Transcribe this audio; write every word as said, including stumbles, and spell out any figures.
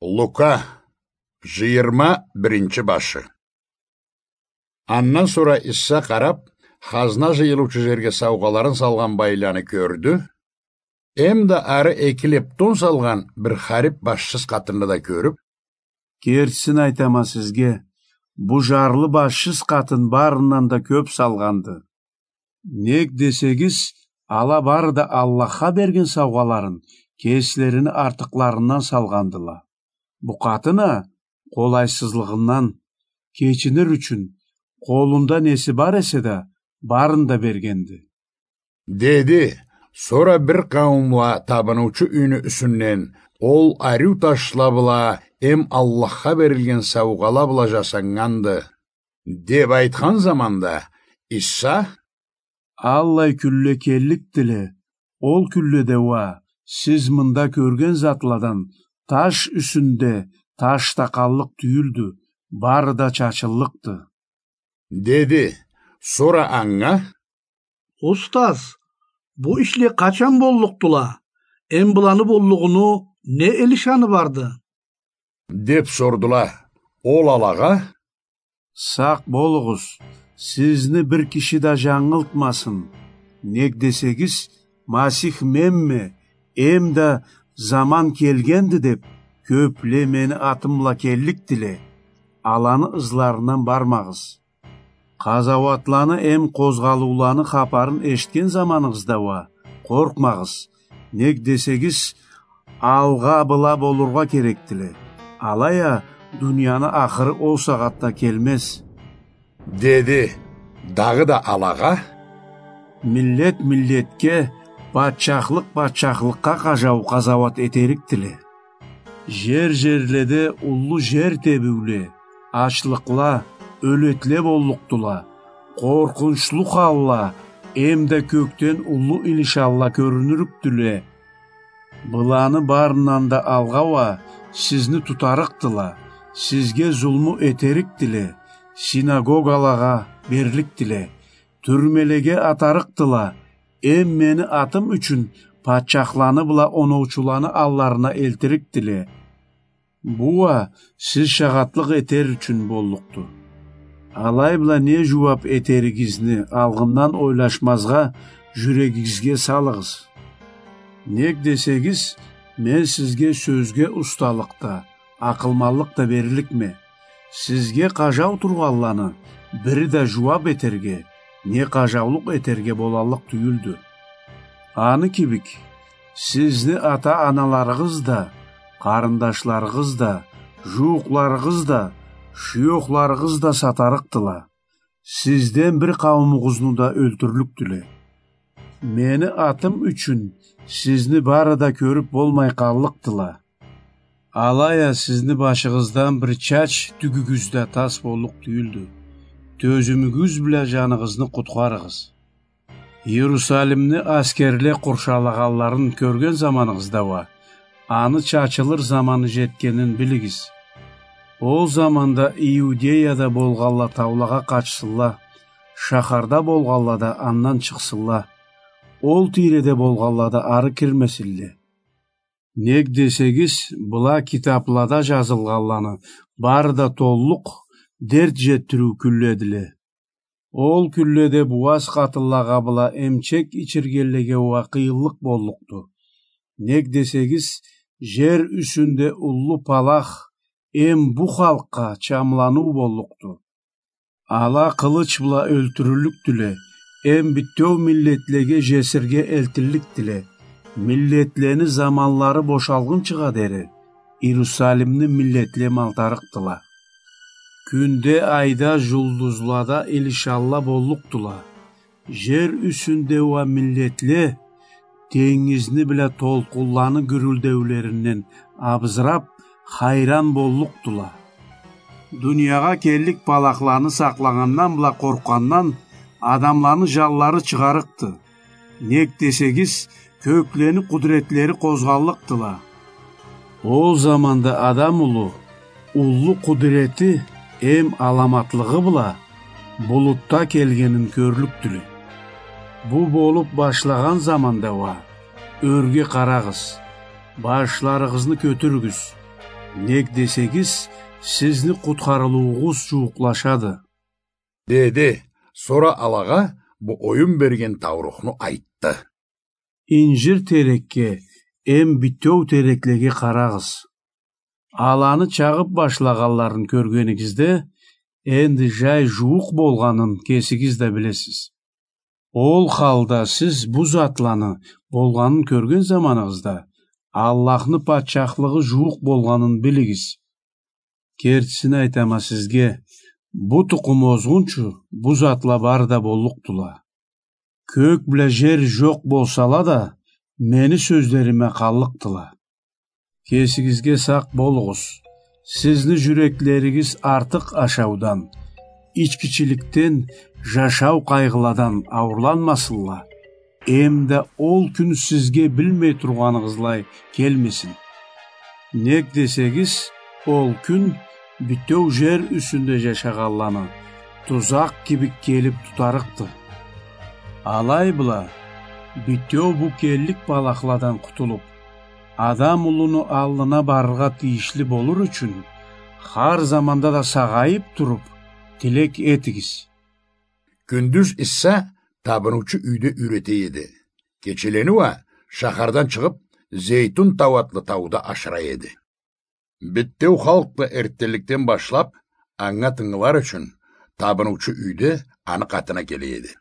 Лука, жыйырма биринчи башы. Андан сора Иса къарап, хазна жыйылыучу жерге саугъаларын салгъан байланы кёрдю, эмда ары эки лептон салгъан бир харип башсыз къатынны да кёрюп: «Кертисин айтама сизге, бу жарлы башсыз къатын барындан да кёп салгъанды. Нек десегиз, ала бары да Аллахха берген саугъаларын кеслерини артыкъларындан салгъандыла. Бу къатын а къолайсызлыгъындан кечинир ючюн, къолунда неси бар эсе да, барын да бергенди», — деди. Сора бир къауумла табыныучу юйню юсюнден: «Ол ариу ташла бла эм Аллахха берилген саугъала бла жасаннганды», — деп айтхан заманда, Иса: «Аллай кюнле келликдиле, ол кюнледе уа сиз мында кёрген затладан таш юсюнде таш да къаллыкъ тюйюлдю, бары да чачыллыкъды», — деди. Сора анга: «Устаз, бу ишле къачан боллукъдула? Эм быланы боллугъуну не илишаны барды?» — деп сордула. Ол алагъа: «Сакъ болугъуз, сизни бир киши да жангылтмасын. Нек десегиз, Масих менме, эмда заман келгенди деп, кёпле мени атым бла келликдиле. Аланы ызларындан бармагъыз. Къазауатланы эм къозгъалыуланы хапарын эшитген заманыгъызда уа къоркъмагъыз. Нек десегиз, алгъа была болургъа керекдиле. Алай а дунияны ахыры ол сагъатда келмез», — деди. Дагъыда алагъа: «Миллет миллетге, патчахлыкъ патчахлыкъгъа къажау-къазауат этерикдиле. Жер-жерледе уллу жер тебиуле, ачлыкъла, ёлетле боллукъдула, къоркъунчлу халла, эмда кёкден уллу илишанла кёрюнюрюкдюле. Быланы барындан да алгъа уа сизни тутарыкъдыла, сизге зулму этерикдиле, синагогалагъа берликдиле, тюрмелеге атарыкъдыла, эм мени атым ючюн патчахланы бла оноучуланы алларына элтирикдиле. Бу уа сиз шагъатлыкъ этер ючюн боллукъду. Алай бла не жууап этеригизни алгъындан ойлашмазгъа жюрегигизге салыгъыз. Нек десегиз, мен сизге сёзге усталыкъ да, акъылманлыкъ да берликме. Сизге къажау тургъанланы бири да жууап этерге, не къажаулукъ этерге болаллыкъ тюйюлдю. Аны кибик, сизни ата-аналарыгъыз да, къарындашларыгъыз да, жууукъларыгъыз да, шуёхларыгъыз да сатарыкъдыла. Сизден бир къауумугъузну да ёлтюрлюкдюле. Мени атым ючюн сизни бары да кёрюп болмай къаллыкъдыла. Алай а сизни башыгъыздан бир чач тюгюгюз да тас боллукъ тюйюлдю. Тёзюмюгюз бла жаныгъызны къутхарыгъыз. Иерусалимни аскерле къуршалагъанларын кёрген заманыгъызда уа, аны чачылыр заманы жетгенин билигиз. Ол заманда Иудеяда болгъанла таулагъа къачсынла, шахарда болгъанла да андан чыкъсынла. Ол тийреде болгъанла да ары кирмесинле. Нек десегиз, была китаплада жазылгъанланы бары да толлукъ дерт жетдириу кюнледиле. Ол кюнледе бууаз къатынлагъа бла эмчек ичиргенлеге уа къыйынлыкъ боллукъду. Нек десегиз, жер юсюнде уллу палах эм бу халкъгъа чамланыу боллукъду. Ала къылыч бла ёлтюрюллюкдюле, эм бютеу миллетлеге жесирге элтилликдиле. Миллетлени заманлары бошалгъынчыгъа дери Иерусалимни миллетле малтарыкъдыла. Кюнде, айда, жулдузлада илишанла боллукъдула. Жер юсюнде уа миллетле тенгизни бла толкъунланы гюрюлдеулеринден абызырап, хайран боллукъдула. Дуниягъа келлик палахланы сакълагъандан бла къоркъгъандан адамланы жанлары чыгъарыкъды. Нек десегиз, кёклени къудретлери къозгъаллыкъдыла. Ол заманда Адам улу уллу къудрети эм аламатлыгъы бла булутда келгенин кёрлюкдюле. Бу болуп башлагъан заманда уа, ёрге къарагъыз, башларыгъызны кётюрюгюз. Нек десегиз, сизни къутхарылыуугъуз жууукълашады. Деди. Сора алагъа бу оюн берген таурухну айтды. Инжир терекге эм битеу тереклеге къарагъыз. Аланы чагъып башлагъанларын кёргенигизде, энди жай жууукъ болгъанын кесигиз да билесиз. Ол халда сиз бу затланы болгъанын кёрген заманыгъызда, Аллахны патчахлыгъы жууукъ болгъанын билигиз. Кертисин айтама сизге, бу тукъум озгъунчу бу затла бары да боллукъдула. Кёк бла жер жокъ болсала да, мени сёзлериме къаллыкъдыла. Кесигизге сакъ болугъуз. Сизни жюреклеригиз артыкъ ашаудан, ичкичиликден, жашау къайгъыладан ауурланмасынла. Эм да ол кюн сизге билмей тургъаныгъызлай келмесин. Нек десегиз, ол кюн битеу жер юсюнде жашагъанланы тузакъ кибик келип тутарыкъды. Алай бла, битеу бу келлик балахладан къутулуп, Адам улуну аллына барыргъа тийишли болур ючюн, хар заманда да сагъайып туруп, тилек этигиз. Кюндюз Иса табыныучу юйде юйрете эди. Кечелени уа шахардан чыгъып, Зейтун тау атлы тауда ашыра эди. Битеу халкъ да эртденликден башлап, анга тынгылар ючюн, табыныучу юйде аны къатына келе эди.